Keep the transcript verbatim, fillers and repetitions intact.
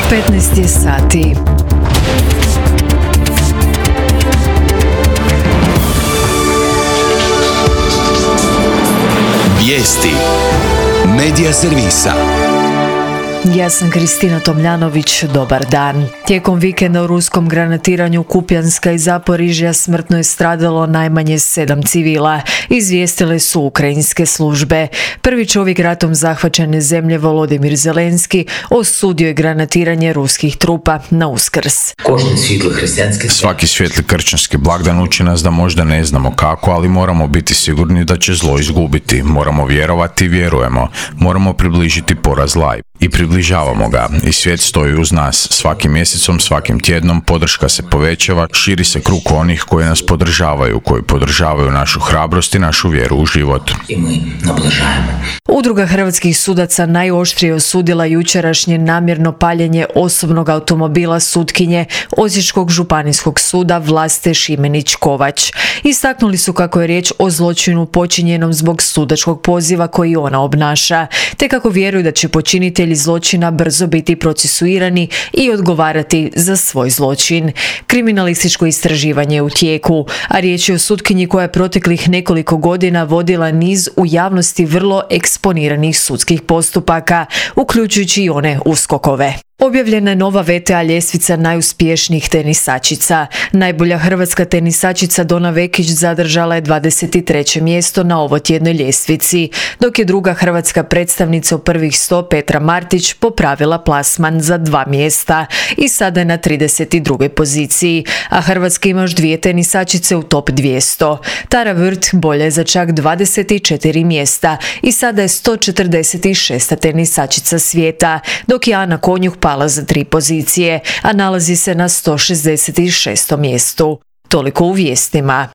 petnaest je sati. Vijesti Medija servisa. Ja sam Kristina Tomljanović, dobar dan. Tijekom vikenda u ruskom granatiranju Kupijanska i Zaporižja smrtno je stradalo najmanje sedam civila, izvijestile su ukrajinske službe. Prvi čovjek ratom zahvaćene zemlje Volodimir Zelenski osudio je granatiranje ruskih trupa na Uskrs. Svaki svijetli kršćanski blagdan uči nas da možda ne znamo kako, ali moramo biti sigurni da će zlo izgubiti. Moramo vjerovati i vjerujemo. Moramo približiti poraz zla i približavamo ga. I svijet stoji uz nas. Svakim mjesecom, svakim tjednom podrška se povećava, širi se krug onih koji nas podržavaju, koji podržavaju našu hrabrost i našu vjeru u život. Udruga hrvatskih sudaca najoštrije osudila jučerašnje namjerno paljenje osobnog automobila sutkinje Osječkog županijskog suda Vlaste Šimenić-Kovač. Istaknuli su kako je riječ o zločinu počinjenom zbog sudačkog poziva koji ona obnaša, te kako vjeruju da će počinitelji zločina brzo biti procesuirani i odgovarati za svoj zločin. Kriminalističko istraživanje je u tijeku, a riječ je o sutkinji koja je proteklih nekoliko godina vodila niz u javnosti vrlo eksponiranih sudskih postupaka, uključujući i one uskokove. Objavljena je nova V T A ljestvica najuspješnijih tenisačica. Najbolja hrvatska tenisačica Dona Vekić zadržala je dvadeset treće mjesto na ovotjednoj ljestvici, dok je druga hrvatska predstavnica u prvih sto Petra Martić popravila plasman za dva mjesta i sada je na trideset drugoj poziciji, a Hrvatska ima još dvije tenisačice u top dvjesto. Tara Vrt bolja je za čak dvadeset četiri mjesta i sada je sto četrdeset šesta tenisačica svijeta, dok je Ana Konjuh pala za tri pozicije, a nalazi se na sto šezdeset šestom mjestu. Toliko u vijestima.